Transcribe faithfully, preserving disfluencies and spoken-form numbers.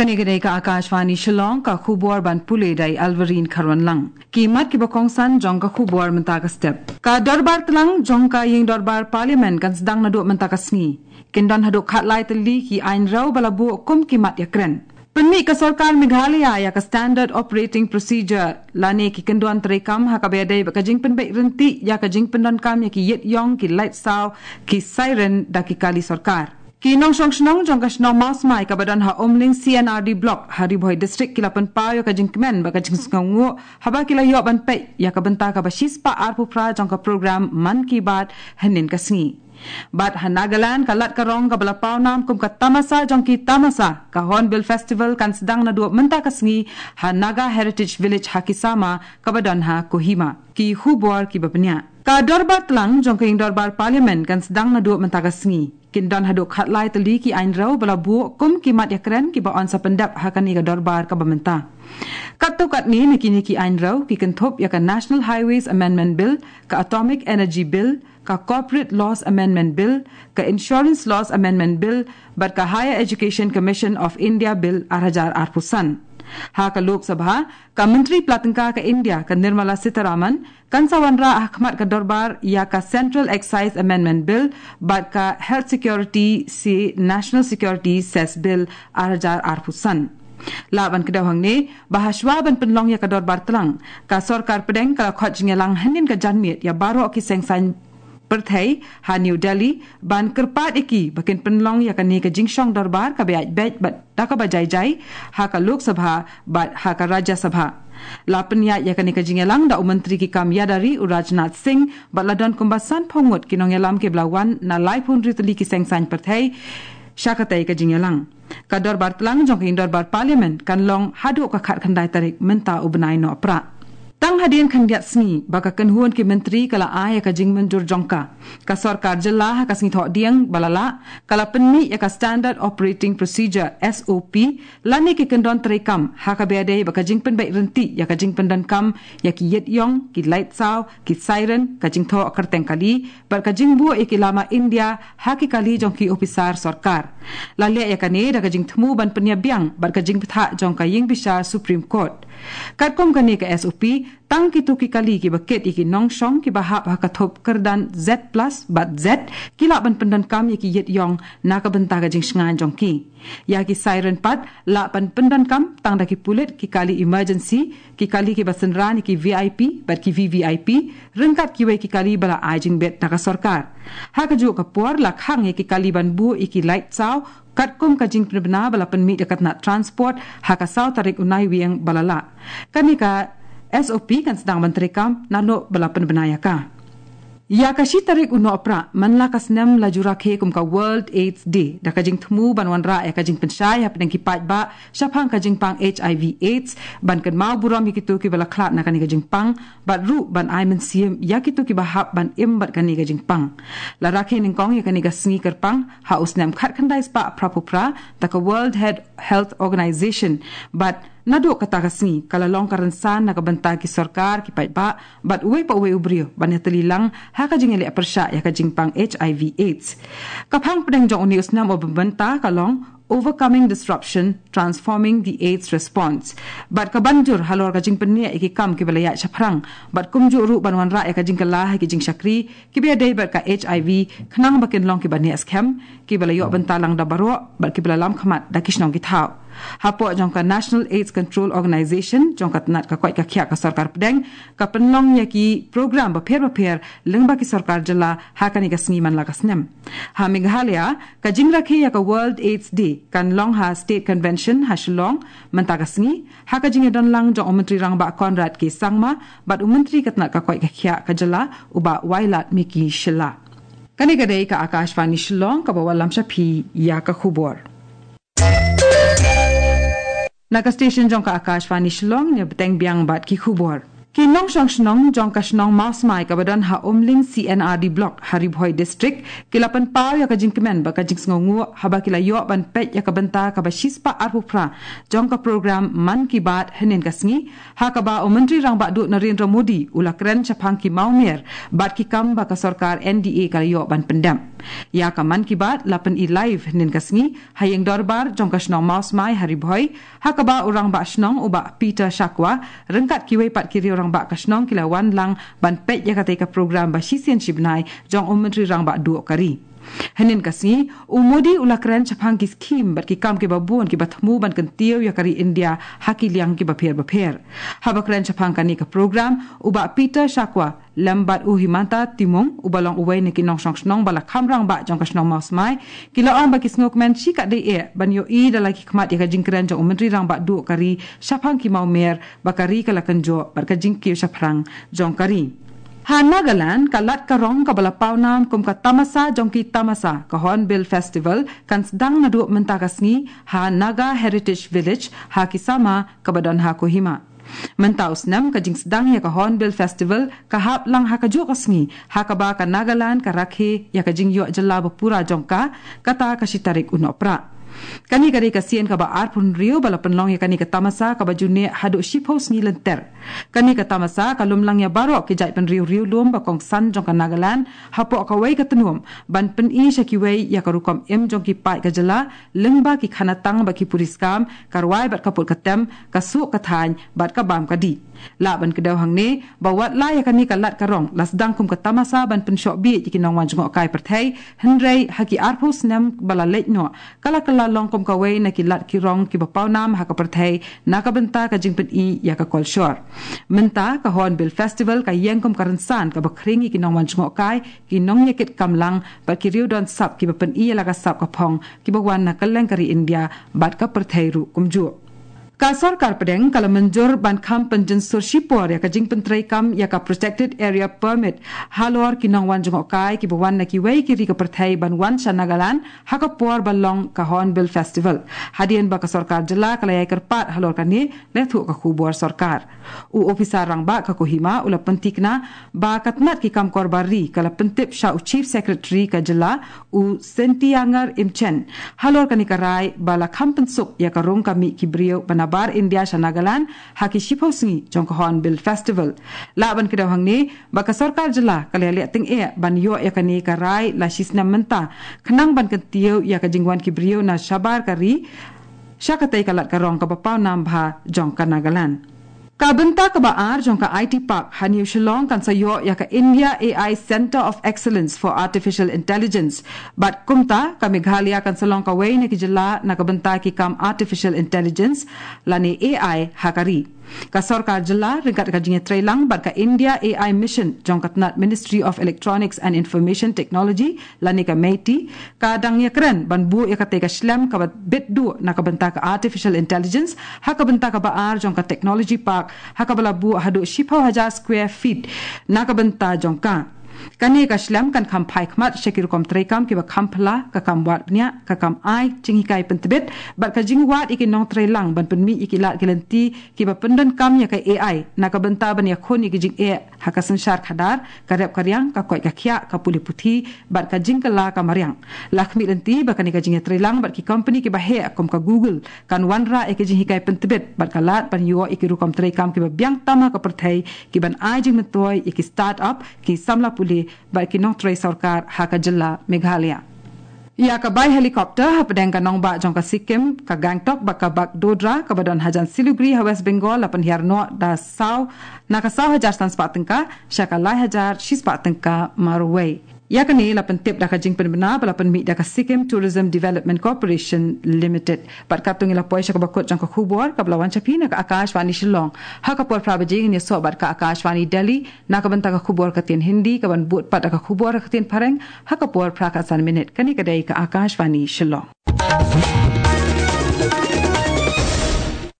Kane ka dei ka Akashvani Shillong, ka khubor ban pule da i Alvarine Kharwanlang. Ki mat kiba kongsan jong ka khubor mynta ka step. Ka dorbar tlang jong ka ïing dorbar Parliament kan sdang naduh mynta ka sngi. Kin don haduh khatlai tylli ki aiñ rew ba la buh kum ki mat ïakren. Pynmih ka sorkar Meghalaya ïa ka Standard Operating Procedure lane ki kyndon treikam ha kaba ïadei bad ka jingpynbeit ryntih ïa ka jingpyndonkam ïa ki ïit ïong, ki lait saw, ki siren da ki kali sorkar. Ki nongshong shnong jong ka shnong Mawsmai kaba don ha Umling C and R D Block ha Ri Bhoi District ki la pynpaw ïa ka jingkmen bad ka jingsngewnguh haba ki la ïoh ban peit ïa ka bynta kaba shispah arphew phra jong ka program Mann Ki Baat hynnin ka sngi. Bad ha Nagaland, ka lad ka rong kaba la pawnam kum ka tamasa jong ki tamasa, ka Hornbill Festival kan sdang naduh mynta ka sngi ha Naga Heritage Village ha Kisama kaba don ha Kohima. Ki khubor kiba bniah. Ka dorbar tlang jong ka ïing dorbar Parliament kan sdang naduh mynta ka sngi. Kin don haduh khatlai tylli ki aiñ rew ba la buh kum ki mat ïakren kiba yn sa pyndep ha kane ka dorbar kaba mynta. Katto katne na kine ki aiñ rew ki kynthup ïa ka National Highways Amendment Bill, ka Atomic Energy Bill, ka Corporate Laws Amendment Bill, ka Insurance Laws Amendment Bill, bad ka Higher Education Commission of India Bill ar hajar arphew san. Ha ka Lok Sabha, ka Myntri Pla Tyngka ka India, ka Nirmala Sitharaman, kan sa wanrah ha khmat ka dorbar ïa ka Central Excise Amendment Bill bad ka Health Security se National Security Cess Bill ar hajar arphew san. Lah ban kdew hangne, ba hashwa ban pynlong ïa ka dorbar tlang, ka sorkar pdeng ka la khot jingïalang hynnin ka janmiet ïa baroh ki seng saiñ pyrthei ha New Delhi ban kyrpad ïa ki ba kin pynlong ïa kane ka jingshong dorbar kaba ïaid beit bad da kaba jai jai ha ka Lok Sabha bad ha ka Rajya Sabha. La pynïaid ïa kane ka jingïalang da u Myntri ki kam ïada ri u Rajnath Singh bad la don kumba sanphew ngut ki nongïalam kiba la wan na laiphew hynriew tylli ki seng saiñ pyrthei sha katei ka jingïalang. Ka dorbar tlang jong ka ïing dorbar Parliament kan long haduh ka khatkhyndai tarik mynta u bnai Nohprah. Tang hadien khyndiat sngi ba ka kynhun ki myntri ka la ai ïa ka jingmynjur jong ka, ka sorkar jylla ha ka sngi Thohdieng ba la lah ka la pynmih ïa ka Standard Operating Procedure, S O P, lane ki kyndon treikam ha kaba ïadei bad ka jingpynbeit ryntih ïa ka jingpyndonkam ïa ki ïit ïong, ki lait saw, ki siren, ka jingthoh kyrteng kali bad ka jingbuh ïa ki lama India ha ki kali jong ki ophisar sorkar. La leh ïa kane da ka jingthmu ban pynïa biang bad ka jingbthah jong ka ïing bishar Supreme Court. Katkum kane ka S O P, tang kito ki kali kiba kit ïa ki nongshong kiba hap ha ka thup kyrdan Z plus bad Z ki lah ban pyndonkam ïa ki ïit ïong na ka bynta ka jingshngaiñ jong ki. Ïa ki siren pat lah ban pyndonkam tang da ki pulit, ki kali emergency, ki kali kiba synran ïa ki V I P bad ki V V I P, ryngkat kiwei ki kali ba la ai jingbit da ka sorkar. Ha kajuh ka por la khang ïa ki kali ban buh ïa ki lait saw katkum ka jingpynbna ba la pynmih da ka tnat Transport ha ka saw tarik u Naiwieng ba la lah. Kane ka S O P kan sdang ban treikam naduh ba la pynbna ïa ka. Ïa ka shi tarik u Nohprah man la ka snem la ju rakhe kum ka World AIDS Day da ka jingthmu ban wanrah ïa ka jingpynshai hapdeng ki paidbah shaphang ka jingpang H I V AIDS, ban kynmaw burom ïa kito kiba la khlad na kane ka jingpang bad ruh ban ai mynsiem ïa kito kiba hap ban im bad kane ka jingpang. La rakhe nyngkong ïa kane ka sngi kyrpang ha u snem khatkhyndai spah phraphew phra da ka World Head-, Health Organization bad naduh kata ka sngi ka la long ka rynsan na ka bynta ki sorkar, ki paidbah bad uwei pa uwei u briew ban ïatylli lang ha ka jingïaleh pyrshah ïa ka jingpang H I V AIDS. Ka phang pdeng jong une u snem uba mynta ka long Overcoming Disruption, Transforming the AIDS Response. Bad ka ban jur halor ka jingpynïaid ïa ki kam kiba la ïaid shaphrang bad kumjuh ruh ban wanrah ïa ka jingkylla ha ki jingshakri kiba ïadei bad ka H I V, khnang ba kin long kiba neh skhem, kiba la ïoh bynta lang da baroh bad kiba la lam khmat da ki shnong ki thaw. Hapoh jong ka National AIDS Control Organization jong ka tnat ka koit ka khiah ka sorkar pdeng, ka pynlong ïa ki program bapher bapher lyngba ki sorkar jylla ha kane ka sngi man la ka snem. Ha Meghalaya, ka jingrakhe ïa ka World AIDS Day kan long ha State Convention ha Shillong mynta ka sngi, ha ka jingïadon lang jong u Myntri Rangbah Conrad K Sangma bad u Myntri ka tnat ka koit ka khiah ka jylla u Bah Wailadmiki Shylla. Kane ka dei ka Akashvani Shillong kaba wallam sha phi ïa ka khubor. Na ka station jong ka Akashvani Shillong, ngin bteng biang bad ki khubor. Ki nongshong shnong jong ka shnong Mawsmai kaba don ha Umling C and R D Block ha Ri Bhoi District ki la pynpaw ïa ka jingkmen bad ka jingsngewnguh haba ki la ïoh ban peit ïa ka bynta kaba shispah arphew phra jong ka program Mann Ki Baat hynnin ka sngi, ha kaba u Myntri Rangbah Duh Narendra Modi u la kren shaphang ki mawmer bad ki kam ba ka sorkar N D A ka la ïoh ban pyndep. Ïa ka Mann Ki Baat la pyni live hynnin ka sngi ha ïing dorbar jong ka shnong Mawsmai ha Ri Bhoi, ha kaba u rangbah shnong u Bah Peter Shakwa ryngkat kiwei pat ki riew rangbah ka shnong ki la wan lang ban peit ïa katei ka program ba shisien shi bnai jong u Myntri Rangbah Duh ka ri. Hynnin ka sngi, u Modi u la kren shaphang ki skhim bad ki kam kiba bun kiba thmu ban kyntiew ïa ka ri India ha ki liang kiba pher bapher. Haba kren shaphang kane ka program, u Bah Peter Shakwa lem bad u Himanta Timung, uba long uwei na ki nongshong shnong ba la kham rangbah jong ka shnong Mawsmai, ki la ong ba ki sngewkmen shikatdei eh ban ïohi da la ki khmat ïa ka jingkren jong u Myntri Rangbah Duh ka ri shaphang ki mawmer ba ka ri ka la kynjoh bad ka jingkiew shaphrang jong ka ri. Ha Nagaland, ka lad ka rong kaba la pawnam kum ka tamasa jong ki tamasa, ka Hornbill Festival, kan sdang naduh mynta ka sngi ha Naga Heritage Village ha Kisama, kaba don ha Kohima. Mynta u snem, ka jingsdang ïa ka Hornbill Festival ka hap lang ha kajuh ka sngi, ha kaba ka Nagaland ka rakhe ïa ka jingïoh jylla bapura jong ka, kata ka shi tarik u Nohprah. Kane ka dei ka sien kaba arphew hynriew ba la pynlong ïa kane ka tamasa kaba ju neh haduh shiphew sngi lynter. Kane ka tamasa ka lum lang ïa baroh ki jaitbynriew riewlum ba kongsan jong ka Nagaland hapoh kawei ka tnum, ban pyni sha kiwei ïa ka rukom im jong ki paid ka jylla, lyngba ki khanatang bad ki puriskam, ka rwai bad ka put ka tem, ka suk ka thaiñ bad ka bam ka dih. Lah ban kdew hangne ba wat la ïa kane ka lad ka rong la sdang kum ka tamasa ban pynshoh bieit ïa ki nongwan jngohkai pyrthei, hynrei ha ki arphew snem ba la leit noh, ka la kylla long kum kawei na ki lad ki rong kiba pawnam ha ka pyrthei na ka bynta ka jingpyni ïa ka kolshor. Mynta ka Hornbill Festival ka ïeng kum ka rynsan kaba khring ïa ki nongwan jngohkai, ki nongïakit kam lang bad ki riewdon sap kiba pyni ïa la ka sap ka phong kiba wan na kylleng ka ri India bad ka pyrthei ruh kumjuh. Ka sorkar pdeng ka la mynjur ban kham pynjynsur shipor ïa ka jingpyntreikam ïa ka Protected Area Permit halor ki nongwan jngohkai kiba wan na kiwei ki ri ka pyrthei ban wan sha Nagaland ha ka por ba long ka Hornbill Festival. Hadien ba ka sorkar jylla ka la ïai kyrpad halor kane, la ïathuh ka khubor sorkar. U ophisar rangbah ka Kohima u la pynthikna ba ka tnat ki kam korbar ri ka la pyntip sha u Chief Secretary ka jylla, u Sentiangar Imchen, halor kane ka rai ba la kham pynsuk ïa ka rung ka mih ki briew ba nabar India sha Nagaland ha ki shiphew sngi jong ka Hornbill Festival. Lah ban kdew hangne ba ka sorkar jylla ka la ïaleh tyngeh ban ïoh ïa kane ka rai la shi snem mynta, khnang ban kyntiew ïa ka jingwan ki briew na shabar ka ri sha katei ka lad ka rong kaba pawnam bha jong ka Nagaland. Ka bynta kaba ar jong ka I T Park ha New Shillong kan sa ïoh ïa ka India A I Centre of Excellence for Artificial Intelligence. Bad kumta, ka Meghalaya kan sa long kawei na ki jylla na ka bynta ki kam Artificial Intelligence lane A I ha ka ri. Ka sorkar jylla ryngkat ka jingïatreilang bad ka India A I Mission jong ka tnat Ministry of Electronics and Information Technology lane ka MeitY, ka dang ïakren ban buh ïa katei ka shlem kaba bit duh na ka bynta ka Artificial Intelligence ha ka bynta kaba ar jong ka Technology Park, ha kaba la buh haduh shiphew hajar square feet na ka bynta jong ka. Kane ka shlem kan kham phai khmat sha ki rukom treikam kiba kham phylla, ka kam wad bniah, ka kam ai jinghikai pyntbit, bad ka jingwad ïa ki nongtreilang ban pynmih ïa ki lad ki lynti kiba pyndonkam ïa ka A I na ka bynta ban ïakhun ïa ki jingeh ha ka synshar khadar, ka rep ka riang, ka koit ka khiah, ka pule puthi, bad ka jingkylla ka mariang. La khmih lynti ba kane ka jingïatreilang bad ki kompani kiba heh kum ka Google kan wanrah ïa ki jinghikai pyntbit bad ka lad ban ïoh ïa ki rukom treikam kiba biang tam ha ka pyrthei, kiban ai jingmyntoi ïa ki start-up, ki samla pule bad ki nongtrei sorkar ha ka jylla Meghalaya. Ïa ka bai helicopter hapdeng ka nongbah jong ka Sikkim, ka Gangtok bad ka Bagdogra, kaba don hajan Siliguri ha West Bengal, la pynhiar noh da saw, na ka saw hajar san spah tyngka sha ka lai hajar shi spah tyngka marwei. Ïa kane la pyntip da ka jingpynbna ba la pynmih da ka Sikkim Tourism Development Corporation Limited. Bad katto ngi la poi sha kaba kut jong ka khubor kaba la wan sha phi na ka Akashvani Shillong. Ha ka por phra baje ngin ïasoh bad ka Akashvani Delhi na ka bynta ka khubor ka ktien Hindi, kaban bud pat da ka khubor ka ktien Phareng ha ka por phra khatsan minit. Kane ka dei ka Akashvani Shillong.